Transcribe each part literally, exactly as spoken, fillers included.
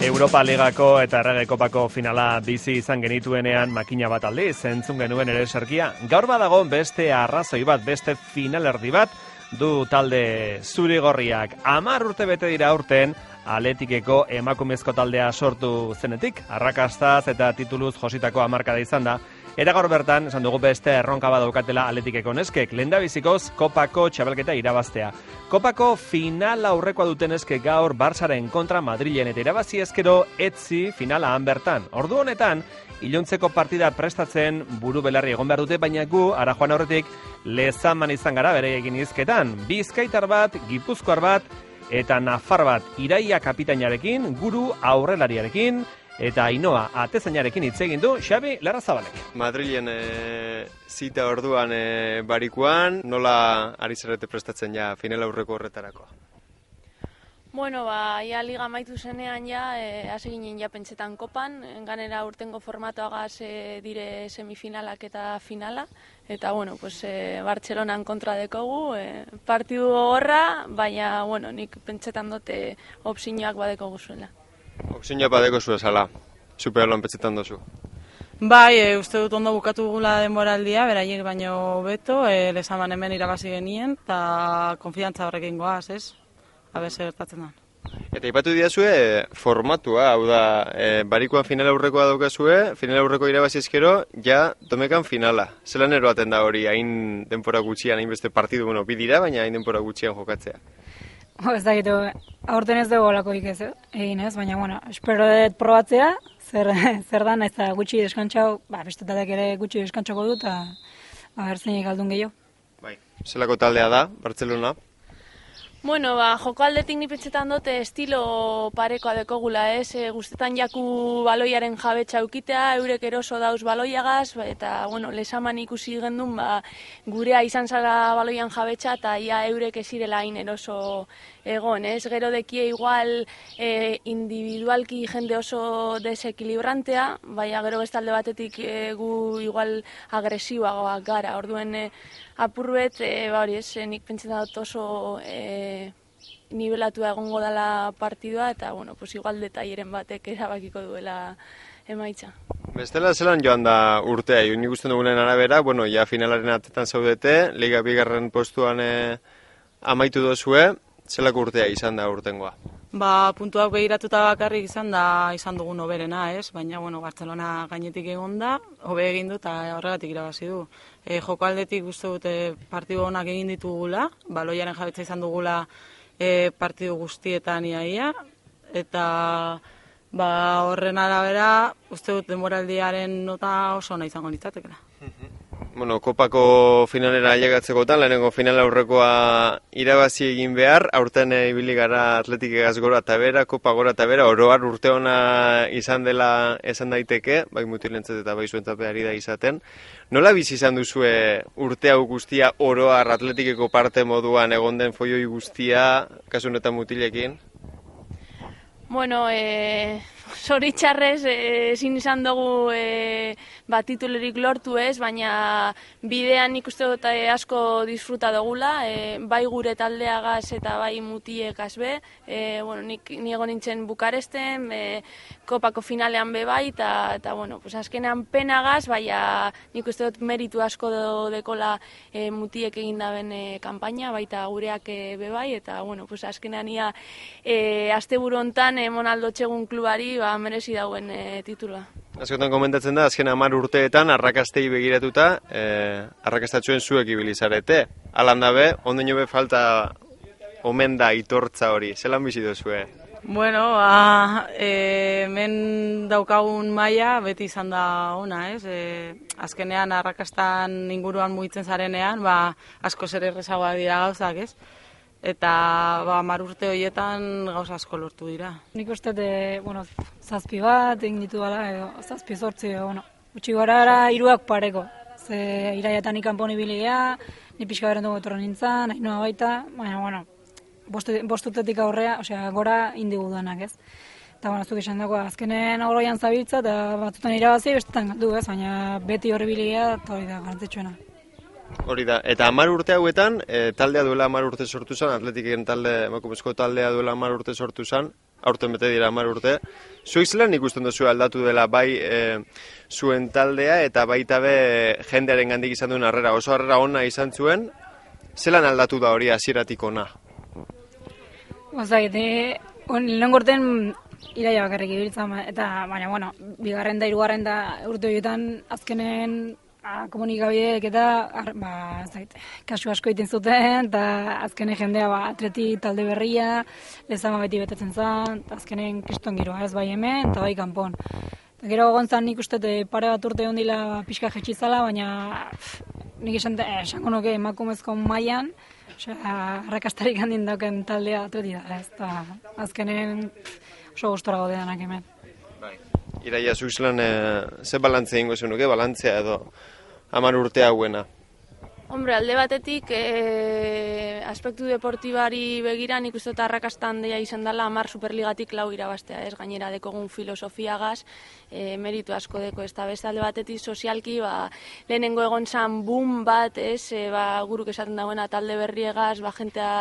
Europa Ligako eta Errege Kopako finala bizi izan genituenean makina bat aldiz, entzun genuen ere eserkia. Gaur badago beste arrazoi bat, beste finalerdi bat, du talde zuri-gorriak. Hamar urte bete dira aurten, Atletikeko emakumezko taldea sortu zenetik, arrakastaz eta tituluz jositako hamarkada izan da. Eta gaur bertan, esan dugu beste erronka badaukatela Atletikeko neskek, lehendabizikoz Kopako txabelketa irabaztea. Kopako final aurrekoa duten neskek gaur Barçaren kontra Madrilen eta irabazi ezkero etzi finala han bertan. Ordu honetan, iluntzeko partida prestatzen buru belarri egon behar dute, baina gu, ara joan aurretik, lezaman izan gara bere egin izketan. Bizkaitar bat, gipuzkoar bat, eta nafar bat iraia kapitainarekin, guru aurrelariarekin, eta Ainoa atezainarekin hitz egin du Xabi Larrazabalek. Madrilen e, zita orduan e, barikuan, nola ari zarete prestatzen ja final aurreko horretarako? Bueno, ba, ja liga amaitu zenean ja, e, hasi ginen ja pentsetan kopan, ganera urtengo formatoagaz e, dire semifinalak eta finala, eta bueno, pues, e, Bartzelonan kontra dekogu, e, partidu horra, baina, bueno, nik pentsetan dute opzioak badekogu zuela. Opzioa badeko zu esala, superlon pentsetan dozu. Bai, e, uste dut ondo bukatu gula denboraldia, beraiek baino beto, e, lezaman hemen irabazi genien, eta konfidantza horrekin goaz, ez? Habe zer gertatzen da. Eta ipatu diazue formatua, hau da, e, barikoan final aurrekoa daukazue, final aurreko irabazi ezkero, ja domekan finala. Zelan eroaten da hori, hain denpora gutxian, hain beste partidu, bueno, bi dira, baina hain denpora gutxian jokatzea? Oh, ez dakit, aurten ez dugu olakoik ez, egin ez, baina, bueno, espero dut probatzea, zer, zer da, nahiz gutxi deskantxau, ba, bestetalek ere gutxi deskantxako dut, eta ba, bertzeinik aldun gehiago. Bai, zelako taldea da, Bartzelona? Bueno, ba, joko aldetik ni pentsetan dute estilo parekoa dekogula, ez? E, guztetan jaku baloiaren jabetza eukitea, eurek eroso dauz baloiagaz, ba, eta, bueno, lesaman ikusi gendun, ba, gurea izan zala baloian jabetza, eta ia eurek ezirela hain eroso egon, ez? Gero dekie igual e, individualki jende oso desekilibrantea, baina gero bestalde batetik e, gu igual agresiboagoak gara, orduen e, apurbet, e, ba hori ez, nik pentsetan dut oso e, nivelatua egongo dela partidua, eta, bueno, pues igual detaileren batek erabakiko duela emaitza. Bestela zelan joan da urtea, nik usten dugunen arabera, bueno, ja finalaren atetan zaudete, liga bigarren postuan e, amaitu dozue, zelako urtea izan da urtengoa? Ba, puntuak begiratuta bakarrik izan da izan dugun hoberena, ez? Baina, bueno, Bartzelona gainetik egon da, hobe egin du eta horregatik irabazi du. E, joko aldetik uste dute partidu onak egin ditugula, baloiaren jabetza izan dugula e, partidu guztietan iaia, eta ba, horren arabera uste dut demoraldiaren nota oso ona izango nitzatekela. Bueno, Kopako finalera ailegatzekotan, lehenengo final aurrekoa irabazi egin behar, aurten ibili gara Atletikegaz gora eta bera, Kopa gora eta bera, oroar urte ona izan dela esan daiteke, bai mutilentzat eta bai zuentzapeari da izaten. Nola bizi izan duzue urte hau guztia oroar Atletikeko parte moduan egon den foioi guztia, kasu honetan mutilekin? Bueno, e, zoritxarrez ezin izan dugu e, bat titulerik lortu ez, baina bidean nik uste dut asko disfruta dugula, e, bai gure taldeagaz eta bai mutiekaz be, e, bueno, nik niego nintzen Bukaresten, e, Kopako finalean be bai, eta, eta bueno, pues azkenean penagaz, baina nik uste dut meritu asko dekola e, mutiek egin daben e, kanpaina, baita gureak e, be bai, eta bueno, pues azkenean ia e, asteburu hontan Monaldo txegun klubari ba, merezi dauen e, titula. Askotan komentatzen da, azken hamar urteetan arrakastei begiratuta, eh, arrakastatxuen zuek ibilizarete. Alan dabe, ondeño be falta omen da itortza hori, zelan bizi duzue? Bueno, ba, e, hemen daukagun maila beti izan da ona, ez? E, azkenean arrakastan inguruan mugitzen zarenean, ba, asko zer errezagoa dira gauzak, ez? Eta ba, hamar urte horietan gauza asko lortu dira. Nik uste, de, bueno, zazpi bat egin ditu gala, edo, zazpi zortzi, bueno, utxi gara era hiruak pareko. Ze iraiatan ikanpon ibiligea, ni pixka beren dugu etorren nintzen, Ainoa baita, baina, bueno, bostutetik aurrea, osea, gora indigu duenak, ez? Eta, bueno, zuk esan dago, azkenen aurroian zabiltza, eta batzutan irabazi, bestetan galdu, ez? Baina beti horri biligea, eta hori da, garrantzitsuena. Hori da, eta hamar urte hauetan, e, taldea duela hamar urte sortu zen, Atletiken talde, emakumezko taldea duela hamar urte sortu zen, aurten bete dira hamar urte. Zuek zelan ikusten duzu aldatu dela bai e, zuen taldea eta baita be jendearen gandik izan duen harrera, oso harrera ona izan zuen, zelan aldatu da hori hasieratik ona? Ozait, e, lehenengo urten iraia bakarrik ibiltzen, eta baina, bueno, bigarren da, hirugarren da urte horietan azkenen a, komunikabideek eta ba, zait, kasu asko egiten zuten, eta azkenen jendea ba, atleti talde berria, lezama beti betetzen zen, azkenen kriston giroa ez bai hemen, eta bai kanpon. Eta gero gontzan nik uste pare bat urte ondila pixka jetxizala, baina pff, nik esan, eh, esango nuke emakumezko mailan, osea, arrakastarik handin dauken taldea atleti da, ez da, azkenen pff, oso gustora gaude denak hemen. Bai. Iraia, zuk zelan, e, ze balantzea ingo zenuke, balantzea edo hamar urte hauena? Hombre, alde batetik, e, aspektu deportibari begira, nik uste eta arrakasta handia izan dela hamar superligatik lau irabaztea, ez gainera dekogun filosofiagaz, e, meritu asko deko, ez da beste alde batetik sozialki, ba, lehenengo egon zan boom bat, ez, e, ba, guruk esaten dagoena talde berriegaz, ba, jentea,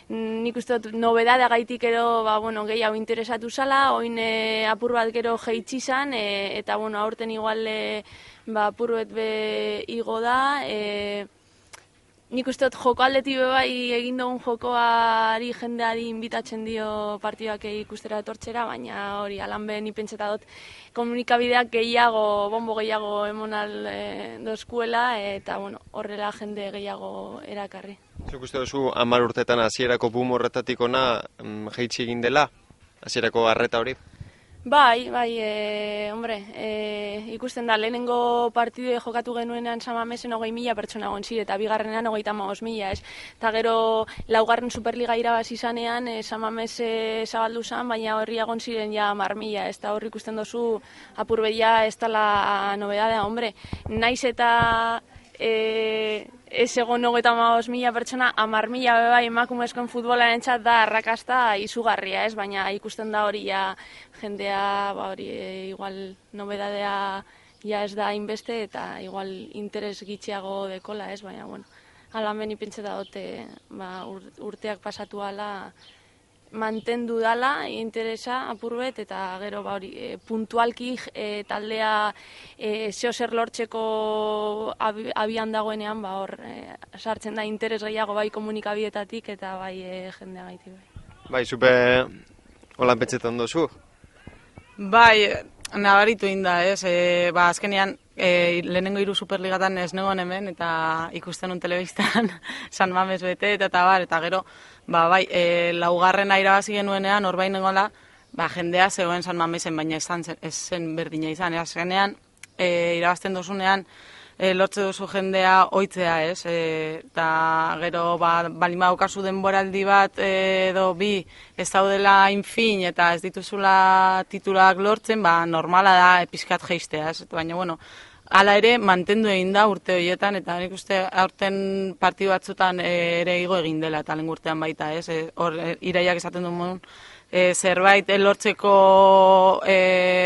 nik uste dut nobedadea gaitik ero ba, bueno, gehiago interesatu zala, oin e, apur bat gero jeitsi zan, e, eta bueno, aurten igual e, ba, apur bat be igo da, e, nik uste dut joko aldetik bai egin dugun jokoari jendeari inbitatzen dio partiduak ikustera etortzera, baina hori alan be ni pentseta dut komunikabideak gehiago, bombo gehiago emonal e, dozkuela, eta bueno, horrela jende gehiago erakarri. Zuk uste duzu hamar urtetan hasierako boom horretatik ona mm, jaitsi egin dela? Hasierako harreta hori? Bai, bai, e, hombre, e, ikusten da, lehenengo partidu jokatu genuenean San Mamesen hogei mila pertsona gontzire, eta bigarrenean hogeita hamabost mila, ez? Eta gero laugarren Superliga irabazi izanean, e, San Mames e, zabaldu zan, baina horri egon ziren ja hamar mila, ez? Eta horri ikusten dozu apur bedia ez dela nobedadea, hombre, naiz eta e, ez egon hogeita hamabost mila pertsona, hamar mila bai emakumezkoen futbolaren txat da arrakasta izugarria, ez? Baina ikusten da hori ja jendea, ba hori, e, igual nobedadea ja ez da hainbeste eta igual interes gitxiago dekola, ez? Baina, bueno, ala meni pentseta dute, ba, urteak pasatu ala mantendu dala interesa apurbet, eta gero ba hori, e, puntualki e, taldea e, zeo zer lortzeko ab, abian dagoenean, ba hor, e, sartzen da interes gehiago bai komunikabietatik eta bai e, jendea gaiti bai. Bai, zupe holan pentsetan dozu? Bai, nabaritu inda, ez, e, ba, azkenean, e, lehenengo hiru superligatan ez negoen hemen, eta ikusten un telebistan San Mames bete, eta, eta bar, eta gero, ba, bai, e, laugarrena irabazi genuenean, hor bain nengoela, ba, jendea zegoen San Mamesen, baina ez zen, ez zen berdina izan, azkenean, e, irabazten dozunean, E, lortze duzu jendea oitzea, ez? E, eta gero, ba, bali badaukazu denboraldi bat e, edo bi ez daudela infin eta ez dituzula titulak lortzen, ba, normala da epizkat jeistea, ez? Baina, bueno, hala ere, mantendu egin da urte horietan, eta nik uste aurten partidu batzutan e, ere igo egin dela, eta lehen urtean baita, ez? E, hor, e, iraiak esaten duen e, zerbait e, lortzeko e,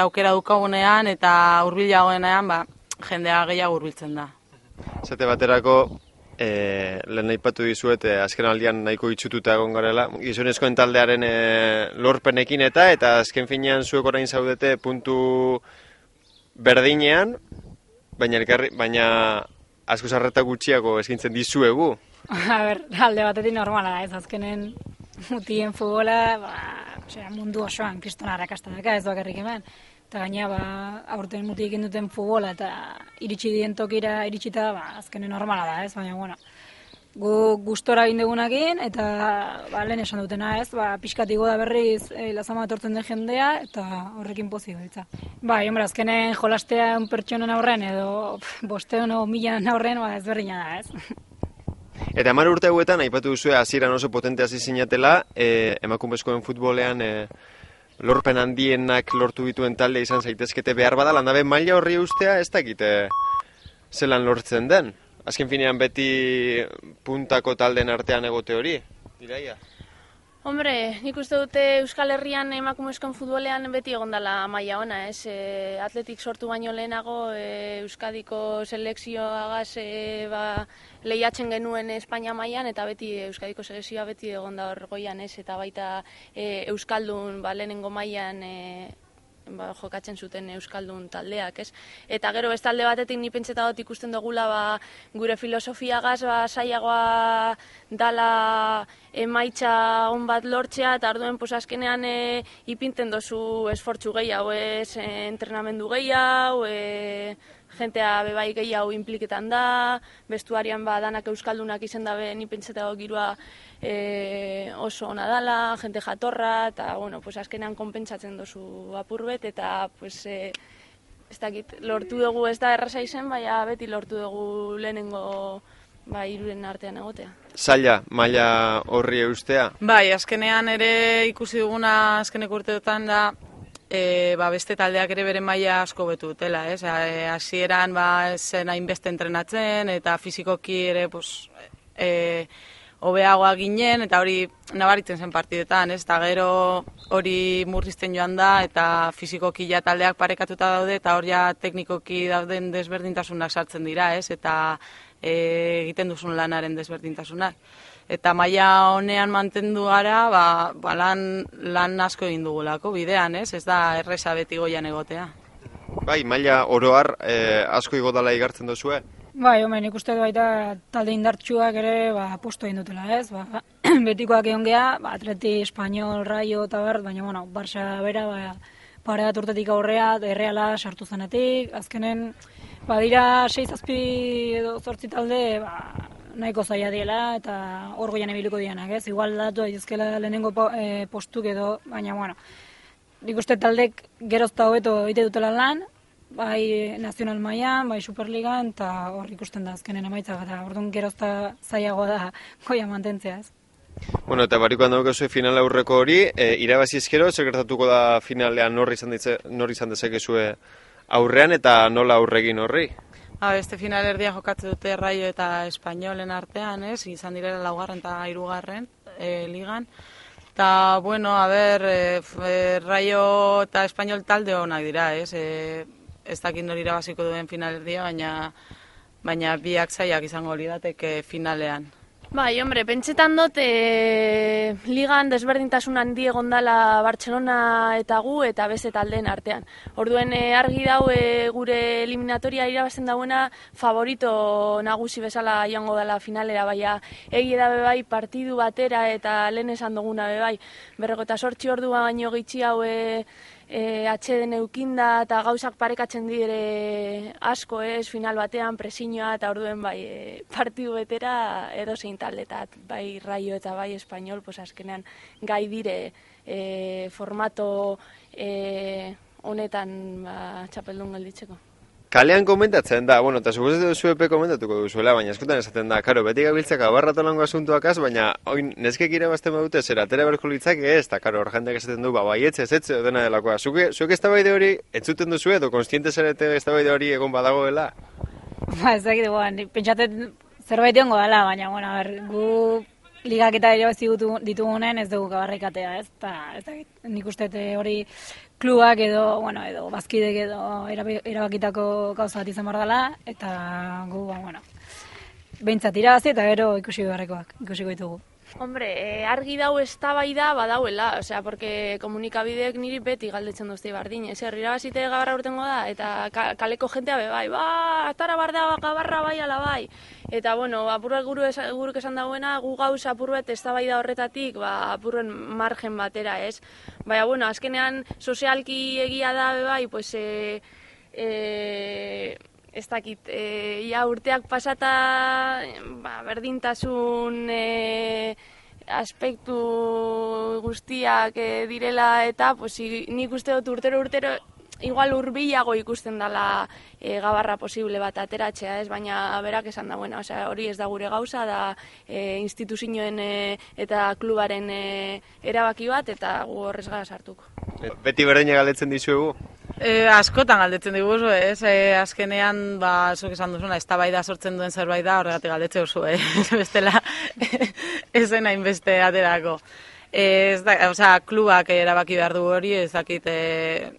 aukera dukagunean, eta hurbilagoenean, ba, jendea gehiago hurbiltzen da. Zate baterako, e, lehen aipatu dizuet, e, azken aldian nahiko itxututa egon garela, gizonezkoen taldearen e, lorpenekin eta, eta azken finean zuek orain zaudete puntu berdinean, baina, elkarri, baina asko zarreta gutxiago eskintzen dizuegu. A ber, alde batetik normala da, ez azkenen mutien futbola, ba, osea, mundu osoan kristona arrakasta daka, ez bakarrik hemen. Eta gaina, ba, aurten muti egin duten futbola eta iritsi dien tokira iritsita, ba, azkenen normala da, ez? Baina, bueno, gu gustora egin dugunakin, eta ba, lehen esan dutena, ez? Ba, pixkat igo da berriz e, lazama etortzen den jendea, eta horrekin pozik beltza. Ba, hombre, azkenen jolastea un pertsonen aurren, edo bosteun o milan aurren, ba, ez berdina da, ez? Eta hamar urte hauetan, aipatu duzue, hasieran oso potente hasi zinatela, e, emakumezkoen futbolean, e, lorpen handienak lortu dituen talde izan zaitezkete behar bada, landabe maila horri ustea ez dakite zelan lortzen den. Azken finean beti puntako talden artean egote hori, Iraia? Hombre, nik uste dute Euskal Herrian emakumezkoen futbolean beti egondala maila ona, ez? E, atletik sortu baino lehenago e, Euskadiko selekzioagaz e, ba, lehiatzen genuen Espainia mailan eta beti Euskadiko selekzioa beti egonda hor goian, ez? Eta baita e, Euskaldun ba, lehenengo mailan e, ba, jokatzen zuten Euskaldun taldeak, ez? Eta gero bestalde batetik ni pentseta dut ikusten dugula ba, gure filosofiagaz ba, saiagoa dala emaitza on bat lortzea, eta orduen pues, azkenean e, ipinten dozu esfortzu gehiago, ez? E, entrenamendu gehiago, e, jentea bebai gehiago impliketan da, bestuarian ba, danak Euskaldunak izen dabe, ni pentseta dut girua e, oso ona dala, jente jatorra, eta bueno, pues, azkenean konpentsatzen dozu apurbet, eta pues, e, ez dakit, lortu dugu ez da erraza izen, baina beti lortu dugu lehenengo ba, hiruren artean egotea. Zaila, maila horri eustea? Bai, azkenean ere ikusi duguna azkeneko urteotan da, E, ba, beste taldeak ere bere maila asko betu dutela, ez? E, hasieran ba, zen hainbeste entrenatzen eta fizikoki ere pues, e, hobeagoa ginen eta hori nabaritzen zen partidetan, ez? Eta gero hori murrizten joan da eta fizikoki ja taldeak parekatuta daude eta hor ja teknikoki dauden desberdintasunak sartzen dira, ez? Eta e, egiten duzun lanaren desberdintasunak. Eta maila honean mantendu gara, ba, ba lan, lan asko egin dugulako bidean, ez? Ez da erresa beti goian egotea. Bai, maila oroar eh, asko igodala igartzen duzue? Bai, home, nik uste baita talde indartsuak ere ba, posto egin dutela, ez? Ba, betikoak egon geha, ba, Atleti, Espanyol, Rayo eta bert, baina, bueno, Barça bera, ba, pare bat urtetik aurrea, Erreala sartu zenetik, azkenen, ba, dira sei zazpi edo zortzi talde, ba, nahiko zaila diela eta hor goian ebiliko dianak, ez? Igual datu daitezkela lehenengo po, e, postuk edo, baina, bueno, nik uste taldek gerozta hobeto egite dutela lan, bai nazional mailan, bai Superligan, eta hor ikusten da azkenen emaitza, eta orduan gerozta zailagoa da goia mantentzea, ez? Bueno, eta barikoan dago zuen final aurreko hori, e, irabazi ezkero, zer gertatuko da finalean nor izan, ditze, nor izan dezakezue aurrean eta nola aurregin horri? Ha, beste finalerdia jokatzen dute Rayo eta Espainolen artean, ez? Izan direla laugarren eta hirugarren e, ligan. Eta, bueno, a ber, e, Rayo eta Espainol talde honak dira, ez? E, ez dakit nori irabaziko duen finalerdia, baina, baina biak zailak izango lirateke finalean. Bai, hombre, pentsetan dut e, ligan desberdintasun handi egondala Bartzelona eta gu eta beste taldeen artean. Orduen e, argi dau e, gure eliminatoria irabazten dauena favorito nagusi bezala joango dela finalera, baina egi da bebai partidu batera eta lehen esan duguna bebai. Berrego eta sortzi ordua baino gitxi hau e, E, atxeden eukinda eta gauzak parekatzen dire asko, ez, final batean presiñoa eta orduen bai e, partidu betera edozein taldetat, bai Rayo eta bai Espainol, pues azkenean gai dire e, formato e, honetan ba, txapeldun gelditzeko. Kalean komentatzen da, bueno, eta suposatzen duzu epe komentatuko duzuela, baina eskutan esaten da, karo, beti gabiltzak abarratolango asuntuakaz, baina oin neskek irabazten badute zer atera berko litzak ez, eta karo, hor jendeak esaten du, ba, baietze, ez etze, dena delakoa. Zuke, zuke eztabaide hori entzuten duzu edo, konstiente zarete eztabaide hori egon badagoela? Ba, ez dakit, guan, pentsatzen zerbait egongo dela, baina, bueno, ber, gu ligak eta irabazi ditugunen ez dugu gabarrikatea, ez? Ta, ez dakit, nik uste hori klubak edo, bueno, edo bazkidek edo erabakitako gauza bat izan behar dela, eta gu, ba, bueno, behintzat irabazi eta gero ikusi beharrekoak, ikusiko ditugu. Hombre, eh, argi dau eztabaida badauela, osea, porque komunikabideek niri beti galdetzen duzte bardin, ez herri irabazite gabarra urtengo da, eta ka, kaleko jentea be bai, ba, atara barda gabarra bai ala bai. Eta, bueno, apurret guru guruk esan dagoena, gu gauz apurret eztabaida horretatik, ba, apurren margen batera, ez? Baina, bueno, azkenean sozialki egia da be bai, pues, e, e, ez dakit, e, ja urteak pasata, ba, berdintasun e, aspektu guztiak e, direla eta pues, nik uste dut urtero urtero igual urbilago ikusten dela e, gabarra posible bat ateratzea, ez, baina berak esan da, bueno, osea, hori ez da gure gauza, da e, instituzioen e, eta klubaren e, erabaki bat, eta gu horrez gara sartuko. Beti berdina galdetzen dizuegu? E, askotan galdetzen diguzu, ez? E, azkenean, ba, zuk esan duzuna, eztabaida sortzen duen zerbait da, horregatik galdetzen duzu, eh? Bestela, ez zen hainbeste aterako. Ez da, osea, klubak erabaki behar du hori, ez dakit, e,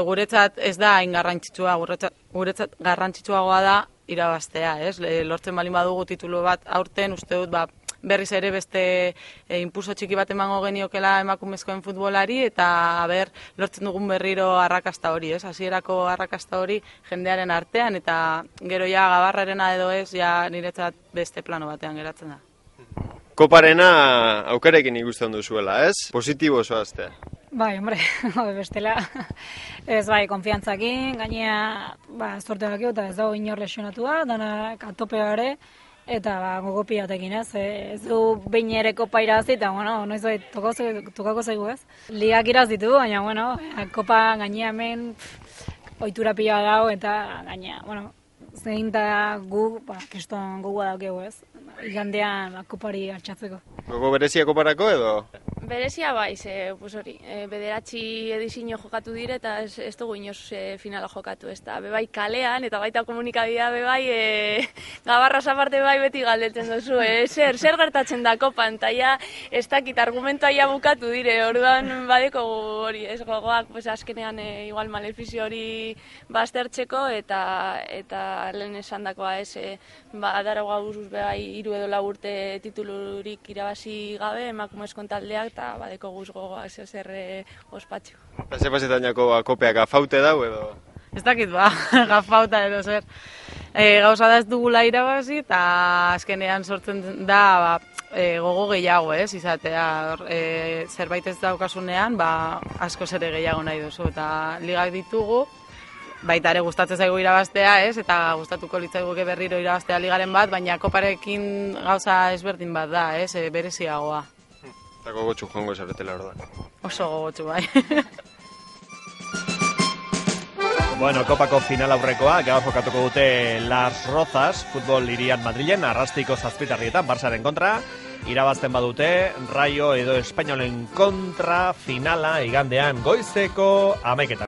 guretzat ez da hain garrantzitsua, guretzat, guretzat garrantzitsuagoa da irabaztea, ez? Lortzen balin badugu titulu bat aurten, uste dut, ba, berriz ere beste e, impulso txiki bat emango geniokela emakumezkoen futbolari, eta ber, lortzen dugun berriro arrakasta hori, ez? Hasierako arrakasta hori jendearen artean, eta gero ja gabarrarena edo ez, ja niretzat beste plano batean geratzen da. Koparena aukarekin ikusten duzuela, ez? Positibo zoazte. Bai, hombre, bestela, ez bai, konfiantzakin, gainea, ba, zorte bakio, eta ez dago inor lesionatua, danak atope gare, eta ba, gogopiatekin, ez, ez du behin ere kopa irazi, eta, bueno, noiz bai, tokako zaigu, ez? Ligak irazitu, baina, bueno, kopa gainea hemen, ohitura pila dago, eta gainea, bueno, zein da gu, ba, kriston gogoa daukegu, ez? Igandean kopari hartzatzeko. Gogo berezia koparako edo? Berezia bai, ze, pues hori, e, bederatzi edizio jokatu dire eta ez, ez dugu inoz e, finala jokatu, ez da, bebai kalean eta baita komunikabidea bebai, e, gabarraz aparte bai beti galdetzen duzu, e, zer, zer gertatzen da kopan, eta ja, ez dakit argumentua ja bukatu dire, orduan badeko hori, ez gogoak, pues azkenean e, igual malefizio hori baztertzeko, eta eta lehen esan dakoa ez, e, ba, adaro gauzuz bebai, hiru edo lau urte titulurik irabazi gabe, emakumezkoen taldeak, eta badeko guz gogoa zer e, ospatxo. Ze pasetan jako ba, kopeak gafaute dau edo? Ez dakit ba, gafauta edo zer. E, gauza da ez dugula irabazi, eta azkenean sortzen da ba, e, gogo gehiago, ez, izatea. E, zerbait ez daukasunean, ba, asko zere gehiago nahi duzu, eta ligak ditugu, baita ere gustatzen zaigu irabaztea, ez, eta gustatuko litzaiguke berriro irabaztea ligaren bat, baina koparekin gauza ezberdin bat da, ez, e, bereziagoa. Eta gogotxu joango zaretela hor da. Oso gogotxu, bai. Bueno, kopako final aurrekoa, gaur jokatuko dute Las Rozas, futbol irian Madrilen, Arrastiko zazpitarrietan, Barsaren kontra, irabazten badute, Rayo edo Espainolen kontra, finala, igandean goizeko, hamaiketan.